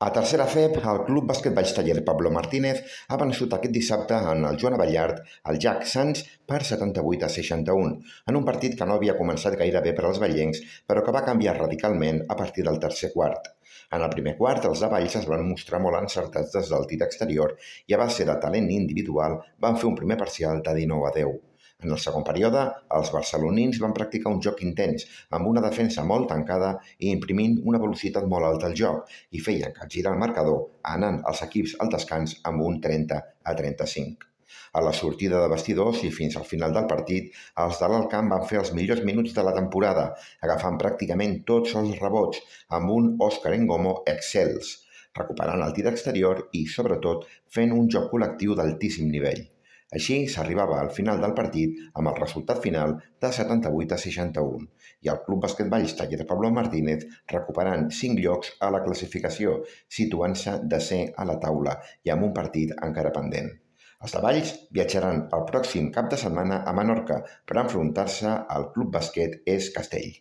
A tercera FEB, el Club Bàsquet Valls Taller Pablo Martínez ha vençut aquest dissabte en el Joan Abellard el Jack Sants per 78-61, en un partit que no havia començat gaire bé per als vallencs, però que va canviar radicalment a partir del tercer quart. En el primer quart, els de Valls es van mostrar molt encertats des del tir exterior i a base de talent individual van fer un primer parcial de 19-10. En el segon període, els barcelonins van practicar un joc intens, amb una defensa molt tancada i imprimint una velocitat molt alta al joc, i feien capgirar el marcador, anant els equips al descans amb un 30-35. A la sortida de vestidors i fins al final del partit, els de l'Alt Camp van fer els millors minuts de la temporada, agafant pràcticament tots els rebots, amb un Òscar Engomo excels, recuperant el tir exterior i, sobretot, fent un joc col·lectiu d'altíssim nivell. Així s'arribava al final del partit amb el resultat final de 78-61 i el Club Bàsquet Valls Taller Pablo Martínez recuperant 5 llocs a la classificació, situant-se desè a la taula i amb un partit encara pendent. Els de Valls viatjaran el pròxim cap de setmana a Menorca per enfrontar-se al Club Bàsquet Es Castell.